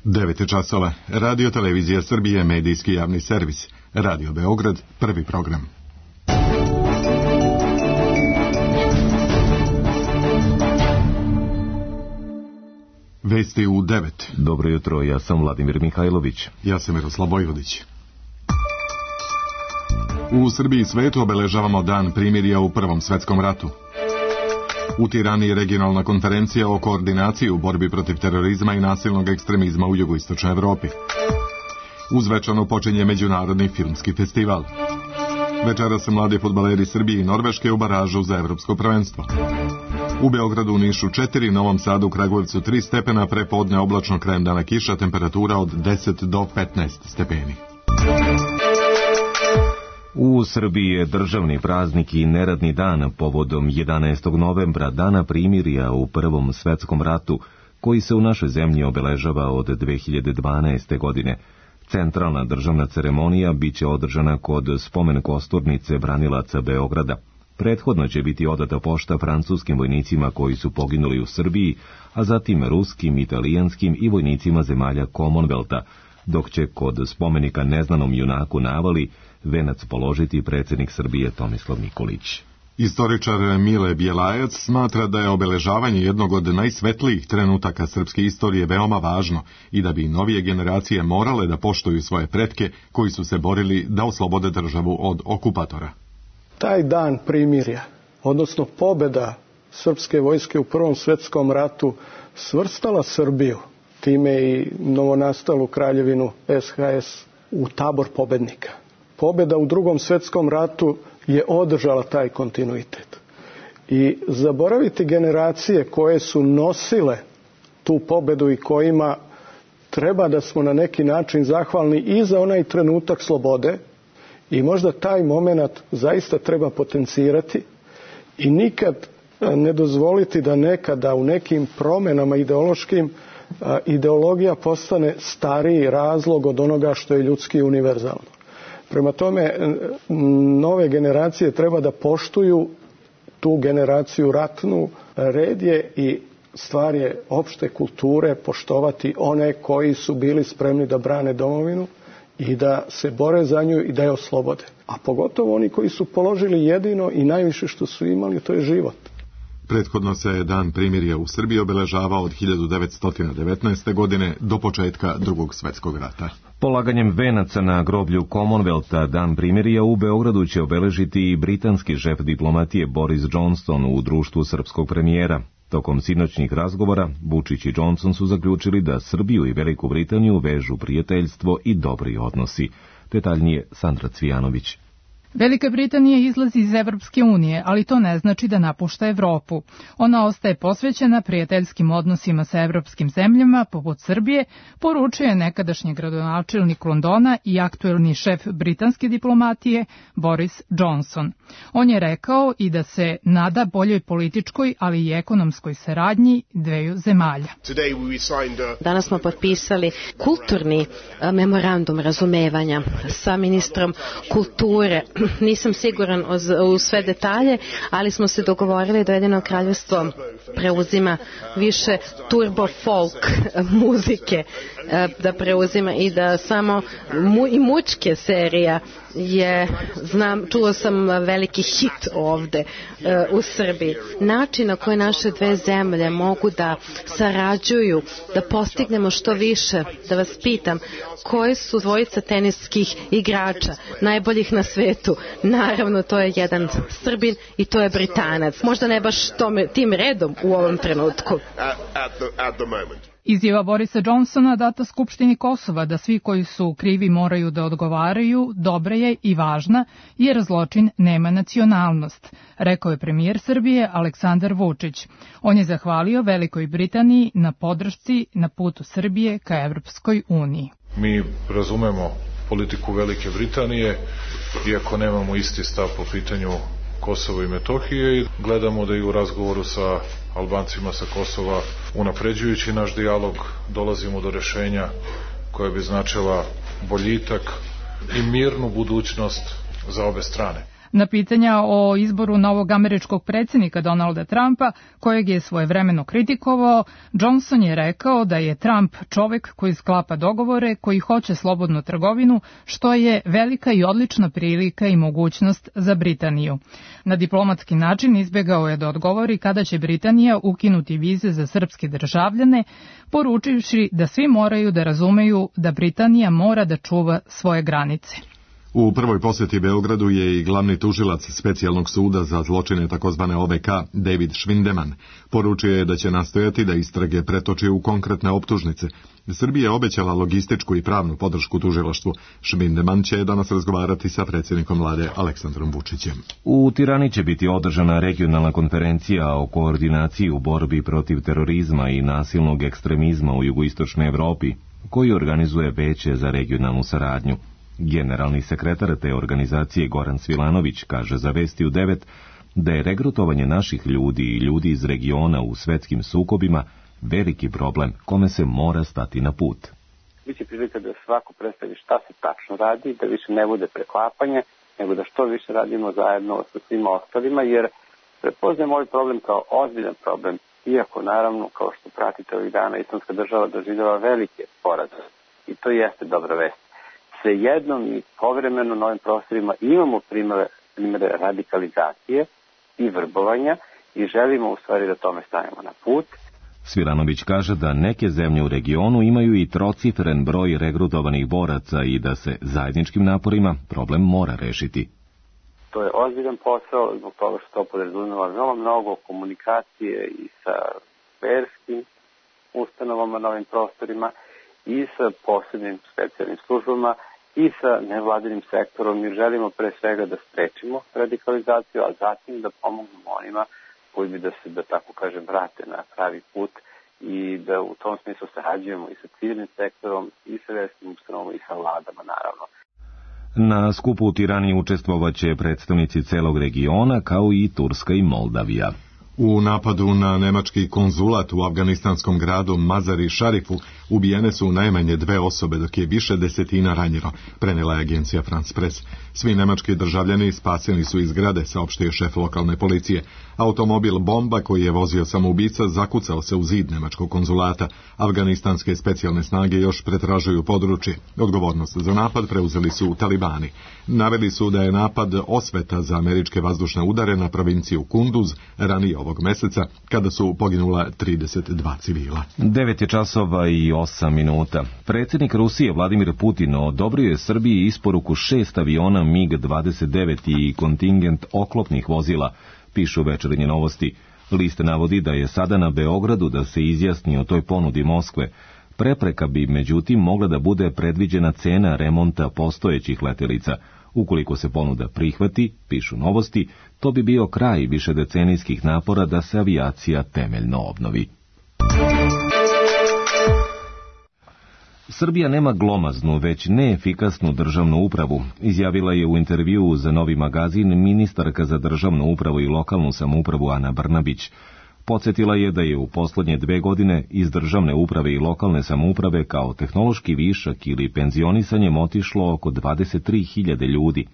9 časova. Radio Televizija Srbije, medijski javni servis. Radio Beograd, prvi program. Vesti u 9. Dobro jutro, ja sam Vladimir Mihajlović. Ja sam Miroslav Vojvodić. U Srbiji i svetu obeležavamo Dan primirja u Prvom svetskom ratu. U Tirani regionalna konferencija o koordinaciji u borbi protiv terorizma i nasilnog ekstremizma u jugoistočnoj Evropi. Uz večanu počinje Međunarodni filmski festival. Večeras mladi fudbaleri Srbije i Norveške u baražu za evropsko prvenstvo. U Beogradu, u Nišu 4, Novom Sadu, Kragujevcu 3 stepena, prepodne oblačno, krajem dana kiša, temperatura od 10 do 15 stepeni. U Srbiji je državni praznik i neradni dan povodom 11. novembra, dana primirja u Prvom svetskom ratu, koji se u našoj zemlji obeležava od 2012. godine. Centralna državna ceremonija biće održana kod spomen kosturnice branilaca Beograda. Prethodno će biti odata pošta francuskim vojnicima koji su poginuli u Srbiji, a zatim ruskim, italijanskim i vojnicima zemalja Commonwealtha, dok će kod spomenika neznanom junaku Navali venac položiti predsjednik Srbije Tomislav Nikolić. Istoričar Mile Bjelajac smatra da je obeležavanje jednog od najsvetlijih trenutaka srpske istorije veoma važno i da bi novije generacije morale da poštuju svoje pretke koji su se borili da oslobode državu od okupatora. Taj dan primirja, odnosno pobjeda srpske vojske u Prvom svjetskom ratu, svrstala Srbiju, time i novonastalu kraljevinu SHS, u tabor pobednika. Pobjeda u Drugom svjetskom ratu je održala taj kontinuitet. I zaboraviti generacije koje su nosile tu pobjedu i kojima treba da smo na neki način zahvalni i za onaj trenutak slobode, i možda taj moment zaista treba potencirati i nikad ne dozvoliti da nekada u nekim promjenama ideološkim ideologija postane stariji razlog od onoga što je ljudski univerzalno. Prema tome, nove generacije treba da poštuju tu generaciju ratnu. Red je i stvar je opšte kulture poštovati one koji su bili spremni da brane domovinu i da se bore za nju i da je oslobode. A pogotovo oni koji su položili jedino i najviše što su imali, to je život. Prethodno se Dan primirja u Srbiji obeležavao od 1919. godine do početka Drugog svjetskog rata. Polaganjem venaca na groblju Commonwealtha Dan primirja u Beogradu će obeležiti i britanski šef diplomatije Boris Johnson u društvu srpskog premijera. Tokom sinoćnih razgovora, Vučić i Johnson su zaključili da Srbiju i Veliku Britaniju vežu prijateljstvo i dobri odnosi. Detaljnije Sandra Cvijanović. Velika Britanija izlazi iz Evropske unije, ali to ne znači da napušta Evropu. Ona ostaje posvećena prijateljskim odnosima sa evropskim zemljama, poput Srbije, poručuje nekadašnji gradonačelnik Londona i aktuelni šef britanske diplomatije Boris Johnson. On je rekao i da se nada boljoj političkoj, ali i ekonomskoj saradnji dveju zemalja. Danas smo potpisali kulturni memorandum razumevanja sa ministrom kulture. Nisam siguran u sve detalje, ali smo se dogovorili da Ujedinjeno Kraljevstvo preuzima više turbo folk muzike, da preuzima i da samo i mučke serija je, čuo sam veliki hit ovde u Srbiji. Način na koji naše dve zemlje mogu da sarađuju, da postignemo što više, da vas pitam, koji su dvojica teniskih igrača, najboljih na svetu? Naravno, to je jedan Srbin i to je Britanac. Možda ne baš tim redom u ovom trenutku. Izjava Borisa Johnsona data Skupštini Kosova da svi koji su krivi moraju da odgovaraju dobra je i važna, jer zločin nema nacionalnost, rekao je premijer Srbije Aleksandar Vučić. On je zahvalio Velikoj Britaniji na podršci na putu Srbije ka Evropskoj uniji. Mi razumemo politiku Velike Britanije, iako nemamo isti stav po pitanju Kosova i Metohije, i gledamo da i u razgovoru sa Albancima sa Kosova, unapređujući naš dijalog, dolazimo do rešenja koje bi značila boljitak i mirnu budućnost za obe strane. Na pitanja o izboru novog američkog predsjednika Donalda Trumpa, kojeg je svojevremeno kritikovao, Johnson je rekao da je Trump čovek koji sklapa dogovore, koji hoće slobodnu trgovinu, što je velika i odlična prilika i mogućnost za Britaniju. Na diplomatski način izbjegao je da odgovori kada će Britanija ukinuti vize za srpske državljane, poručivši da svi moraju da razumeju da Britanija mora da čuva svoje granice. U prvoj posjeti Beogradu je i glavni tužilac specijalnog suda za zločine takozvane OVK, David Schwindeman. Poručio je da će nastojati da istrage pretoči u konkretne optužnice. Srbija je obećala logističku i pravnu podršku tužilaštvu. Schwindeman će danas razgovarati sa predsjednikom vlade Aleksandrom Vučićem. U Tirani će biti održana regionalna konferencija o koordinaciji u borbi protiv terorizma i nasilnog ekstremizma u jugoistočnoj Evropi, koju organizuje Veće za regionalnu saradnju. Generalni sekretar te organizacije Goran Svilanović kaže za Vesti u 9 da je regrutovanje naših ljudi i ljudi iz regiona u svetskim sukobima veliki problem kome se mora stati na put. Biće prilika da svako predstavi šta se tačno radi, da više ne bude preklapanje, nego da što više radimo zajedno sa svima ostalima, jer prepoznajemo ovaj problem kao ozbiljan problem, iako naravno, kao što pratite ovih dana, Islamska država doživljava velike poraze i to jeste dobra vest. Svejednom i povremeno na ovim prostorima imamo primere radikalizacije i vrbovanja i želimo u stvari da tome stavimo na put. Svilanović kaže da neke zemlje u regionu imaju i trocifren broj regrutovanih boraca i da se zajedničkim naporima problem mora rešiti. To je ozbiljan posao zbog toga što to podrazumeva mnogo komunikacije i sa verskim ustanovama na ovim prostorima i sa posebnim specijalnim službama i sa nevladinim sektorom. Mi želimo pre svega da sprečimo radikalizaciju, a zatim da pomognemo onima koji bi da se, da tako kažem, vrate na pravi put i da u tom smislu sarađujemo i sa civilnim sektorom i sa verskim ustanovama i sa vladama, naravno. Na skupu u Tirani učestvovaće predstavnici celog regiona, kao i Turska i Moldavija. U napadu na nemački konzulat u afganistanskom gradu Mazar-i Šarifu ubijene su najmanje 2 osobe, dok je više desetina ranjeno, prenela je agencija France Press. Svi nemački državljani spaseni su iz zgrade, saopštio šef lokalne policije. Automobil bomba koji je vozio samoubica zakucao se u zid nemačkog konzulata. Afganistanske specijalne snage još pretražuju područje. Odgovornost za napad preuzeli su talibani. Naveli su da je napad osveta za američke vazdušne udare na provinciju Kunduz ranije ovog meseca, kada su poginula 32 civila. 9:08. Predsjednik Rusije Vladimir Putin odobrio je Srbiji isporuku 6 aviona MiG-29 i kontingent oklopnih vozila, pišu Večernje novosti. List navodi da je sada na Beogradu da se izjasni o toj ponudi Moskve. Prepreka bi međutim mogla da bude predviđena cena remonta postojećih letelica. Ukoliko se ponuda prihvati, pišu novosti, to bi bio kraj višedecenijskih napora da se avijacija temeljno obnovi. Srbija nema glomaznu, već neefikasnu državnu upravu, izjavila je u intervjuu za Novi magazin ministarka za državnu upravu i lokalnu samoupravu Ana Brnabić. Podsjetila je da je u poslednje 2 godine iz državne uprave i lokalne samouprave kao tehnološki višak ili penzionisanjem otišlo oko 23.000 ljudi.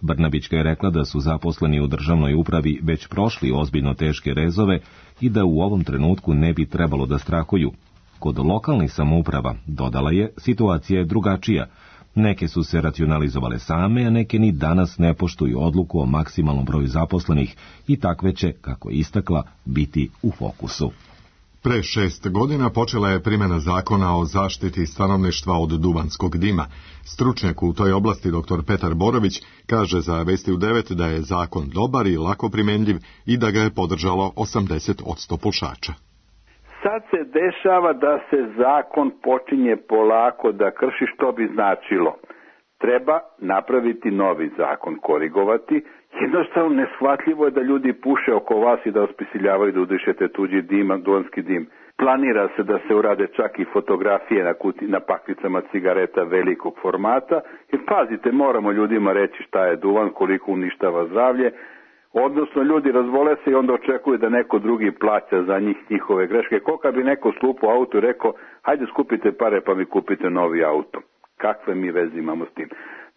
Brnabićka je rekla da su zaposleni u državnoj upravi već prošli ozbiljno teške rezove i da u ovom trenutku ne bi trebalo da strahuju. Kod lokalnih samouprava, dodala je, situacija je drugačija. Neke su se racionalizovale same, a neke ni danas ne poštuju odluku o maksimalnom broju zaposlenih i takve će, kako je istakla, biti u fokusu. Pre 6 godina počela je primjena zakona o zaštiti stanovništva od duvanskog dima. Stručnjak u toj oblasti dr. Petar Borović kaže za Vesti u 9 da je zakon dobar i lako primjenjiv i da ga je podržalo 80% pušača. Sad se dešava da se zakon počinje polako da krši, što bi značilo. Treba napraviti novi zakon, korigovati. Jednostavno neshvatljivo je da ljudi puše oko vas i da vas prisiljavaju da udišete tuđi dim, duvanski dim. Planira se da se urade čak i fotografije na paklicama cigareta velikog formata. Jer pazite, moramo ljudima reći šta je duvan, koliko uništava zdravlje. Odnosno, ljudi razvole se i onda očekuju da neko drugi plaća za njihove greške. Koliko bi neko slupao auto i rekao, hajde skupite pare pa mi kupite novi auto. Kakve mi veze imamo s tim?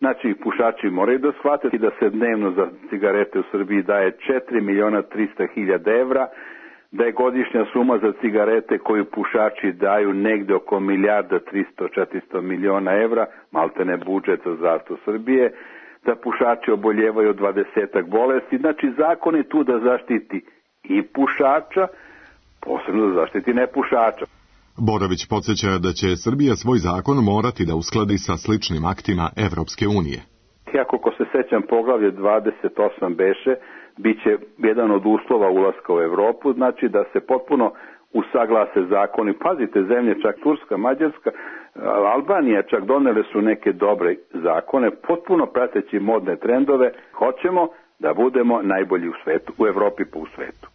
Znači, pušači moraju da shvatiti da se dnevno za cigarete u Srbiji daje 4.300.000 evra, da je godišnja suma za cigarete koju pušači daju negde oko 1.300.000-400 miliona evra, maltene budžet za zdravstvo Srbije, da pušači oboljevaju 20 bolesti. Znači, zakon je tu da zaštiti i pušača, posebno da zaštiti nepušača. Borović podsjeća da će Srbija svoj zakon morati da uskladi sa sličnim aktima Evropske unije. Ako ko se sećam, poglavlje 28 beše, bit će jedan od uslova ulaska u Evropu, znači da se potpuno usaglase zakoni. Pazite, zemlje, čak Turska, Mađarska, Albanija čak donele su neke dobre zakone, potpuno prateći modne trendove. Hoćemo da budemo najbolji u svetu, u Evropi pa u svetu.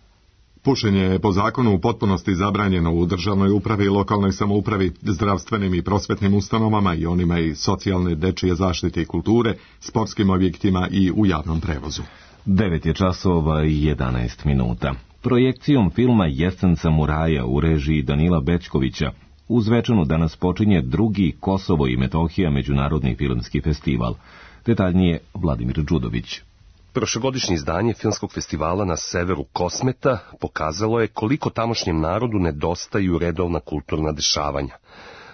Pušenje je po zakonu u potpunosti zabranjeno u državnoj upravi, lokalnoj samoupravi, zdravstvenim i prosvetnim ustanovama i onima iz socijalne, dečije zaštite i kulture, sportskim objektima i u javnom prevozu. 9 je časova i 11 minuta. Projekcijom filma Jesen samuraja u režiji Danila Bećkovića u Zvečanu danas počinje drugi Kosovo i Metohija međunarodni filmski festival. Detaljnije Vladimir Đudović. Prošlogodišnje izdanje filmskog festivala na severu Kosmeta pokazalo je koliko tamošnjem narodu nedostaju redovna kulturna dešavanja.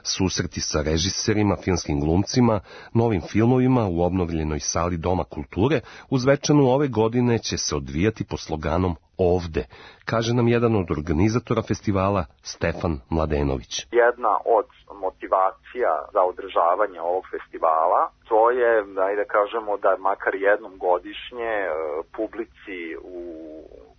Susreti sa režiserima, filmskim glumcima, novim filmovima u obnovljenoj sali Doma kulture u Zvečanu ove godine će se odvijati po sloganom Ovde, kaže nam jedan od organizatora festivala, Stefan Mladenović. Jedna od motivacija za održavanje ovog festivala, to je, da kažemo, da makar jednom godišnje publici u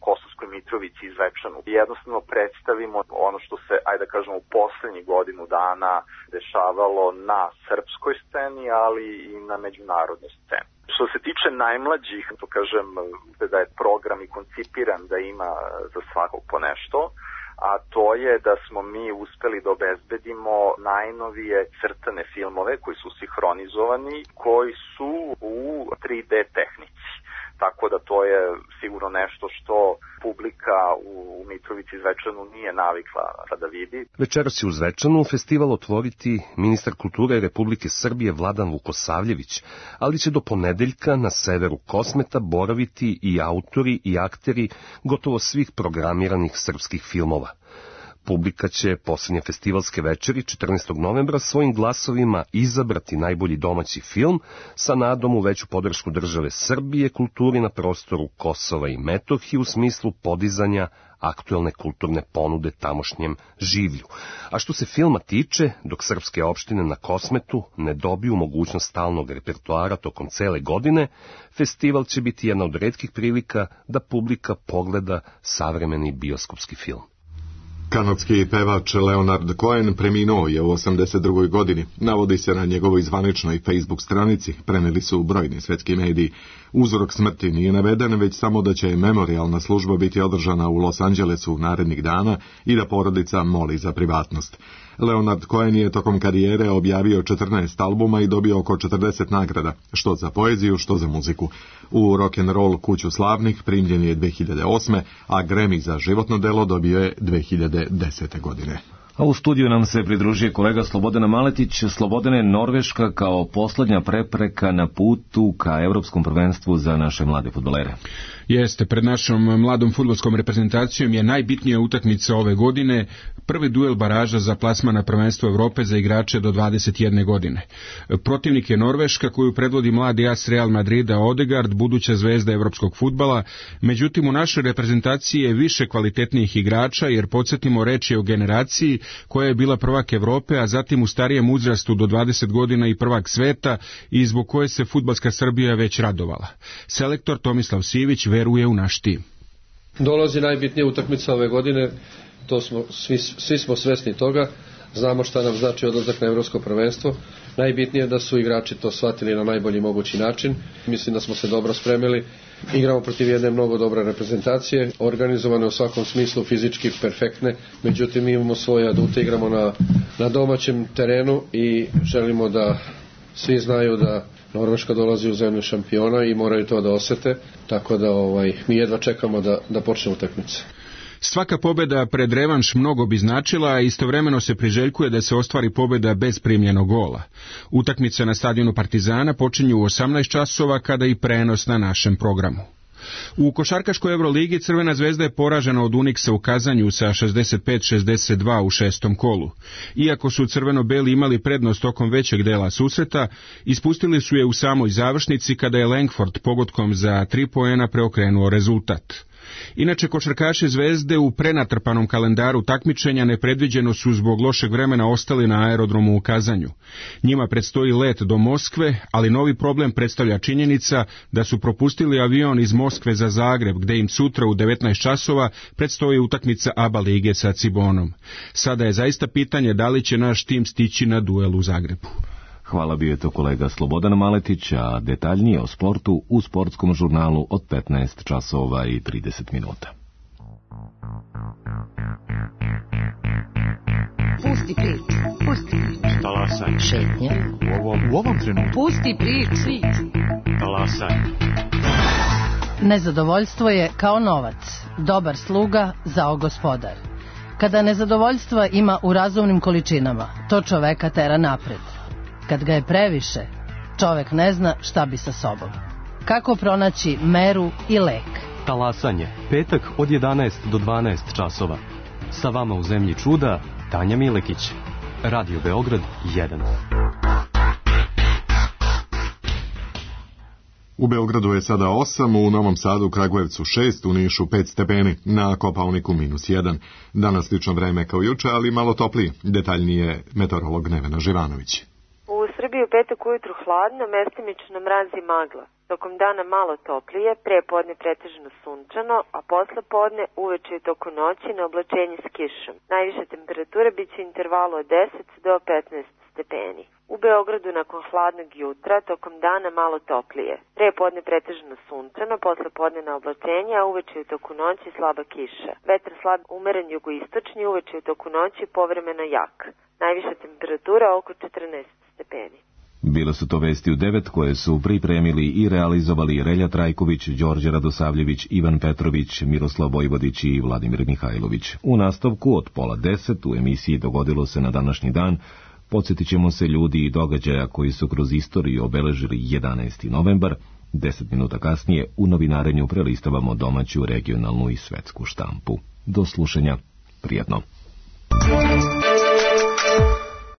Kosovskoj Mitrovici i Zvečanu jednostavno predstavimo ono što se, da kažemo, u poslednjih godinu dana dešavalo na srpskoj sceni, ali i na međunarodnoj sceni. Što se tiče najmlađih, to kažem da je program i koncipiran da ima za svakog po nešto, a to je da smo mi uspeli da obezbedimo najnovije crtane filmove koji su sinhronizovani, koji su u 3D tehnici. Tako da to je sigurno nešto što publika u Mitrovici i Zvečanu nije navikla da vidi. Večeras će u Zvečanu festival otvoriti ministar kulture Republike Srbije Vladan Vukosavljević, ali će do ponedeljka na severu Kosmeta boraviti i autori i akteri gotovo svih programiranih srpskih filmova. Publika će posljednje festivalske večeri 14. novembra svojim glasovima izabrati najbolji domaći film sa nadom u veću podršku države Srbije kulturi na prostoru Kosova i Metohije u smislu podizanja aktuelne kulturne ponude tamošnjem življu. A što se filma tiče, dok srpske opštine na Kosmetu ne dobiju mogućnost stalnog repertoara tokom cele godine, festival će biti jedna od retkih prilika da publika pogleda savremeni bioskopski film. Kanadski pevač Leonard Cohen preminuo je u 82. godini. Navodi se na njegovoj zvaničnoj Facebook stranici, preneli su brojni svetski mediji. Uzrok smrti nije naveden, već samo da će memorijalna služba biti održana u Los Angelesu narednih dana i da porodica moli za privatnost. Leonard Cohen je tokom karijere objavio 14 albuma i dobio oko 40 nagrada, što za poeziju, što za muziku. U rock'n'roll kuću slavnih primljen je 2008. a Grammy za životno delo dobio je 2010. godine. A u studiju nam se pridružuje kolega Slobodan Maletić. Slobodane, Norveška kao poslednja prepreka na putu ka Evropskom prvenstvu za naše mlade fudbalere. Jeste, pred našom mladom fudbalskom reprezentacijom je najbitnija utakmica ove godine, prvi duel baraža za plasman na prvenstvo Evrope za igrače do 21 godine. Protivnik je Norveška koju predvodi mladi as Real Madrida Odegaard, buduća zvezda evropskog fudbala, međutim u našoj reprezentaciji je više kvalitetnijih igrača, jer podsjetimo, reč je o generaciji koja je bila prvak Evrope, a zatim u starijem uzrastu do 20 godina i prvak sveta i zbog koje se fudbalska Srbija već radovala. Selektor Tomislav Sivić veruje u naš tim. Dolazi najbitnija utakmica ove godine, to smo, svi smo svesni toga, znamo šta nam znači odlazak na Evropsko prvenstvo. Najbitnije je da su igrači to shvatili na najbolji mogući način. Mislim da smo se dobro spremili. Igramo protiv jedne mnogo dobre reprezentacije, organizovane u svakom smislu, fizički perfektne, međutim mi imamo svoje adute, igramo na domaćem terenu i želimo da svi znaju da Norveška dolazi u zemlju šampiona i moraju to da osete, tako da mi jedva čekamo da počne utakmica. Svaka pobjeda pred revanš mnogo bi značila, a istovremeno se priželjkuje da se ostvari pobjeda bez primljenog gola. Utakmica na stadionu Partizana počinju u 18 časova kada i prenos na našem programu. U košarkaškoj Euroligi Crvena zvezda je poražena od Uniksa u Kazanju sa 65-62 u šestom kolu. Iako su crveno-beli imali prednost tokom većeg dela susreta, ispustili su je u samoj završnici kada je Langford pogodkom za 3 poena preokrenuo rezultat. Inače, košarkaši Zvezde u prenatrpanom kalendaru takmičenja nepredviđeno su zbog lošeg vremena ostali na aerodromu u Kazanju. Njima predstoji let do Moskve, ali novi problem predstavlja činjenica da su propustili avion iz Moskve za Zagreb, gde im sutra u 19 časova predstoji utakmica ABA lige sa Cibonom. Sada je zaista pitanje da li će naš tim stići na duel u Zagrebu. Hvala, bio je to kolega Slobodan Maletić, a detaljnije o sportu u sportskom žurnalu od 15 časova i 30 minuta. Pusti priču, pusti priču. Talasaj. Šetnja. U ovom trenutku. Pusti priču. Talasaj. Nezadovoljstvo je kao novac, dobar sluga, zao gospodar. Kada nezadovoljstva ima u razumnim količinama, to čoveka tera napred. Kad ga je previše, čovek ne zna šta bi sa sobom. Kako pronaći meru i lek? Talasanje, petak od 11 do 12 časova. Sa vama u zemlji čuda, Tanja Milekić. Radio Beograd 1. U Beogradu je sada 8, u Novom Sadu, Kragujevcu 6, u Nišu 5 stepeni, na Kopaoniku -1. Danas slično vreme kao juče, ali malo toplije. Detaljnije meteorolog Nevena Živanović. U Srbiji u petak ujutru hladno, mestimično mraz i magla. Tokom dana malo toplije, pre podne pretežno sunčano, a posle podne uveče i toku noći na oblačenje s kišom. Najviša temperatura biće u intervalu od 10 do 15 stepeni. U Beogradu nakon hladnog jutra, tokom dana malo toplije. Pre podne pretežno sunčano, posle podne na oblačenje, a uveče i toku noći slaba kiša. Vetar slab umeren jugoistočni, uveče i toku noći povremeno jak. Najviša temperatura oko 14 stepeni. Bile su to vesti u 9 koje su pripremili i realizovali Relja Trajković, Đorđe Radosavljević, Ivan Petrović, Miroslav Vojvodić i Vladimir Mihajlović. U nastavku od 9:30 u emisiji Dogodilo se na današnji dan podsjetit ćemo se ljudi i događaja koji su kroz istoriju obeležili 11. novembar. 10 minuta kasnije u novinarenju prelistavamo domaću, regionalnu i svetsku štampu. Do slušanja. Prijatno.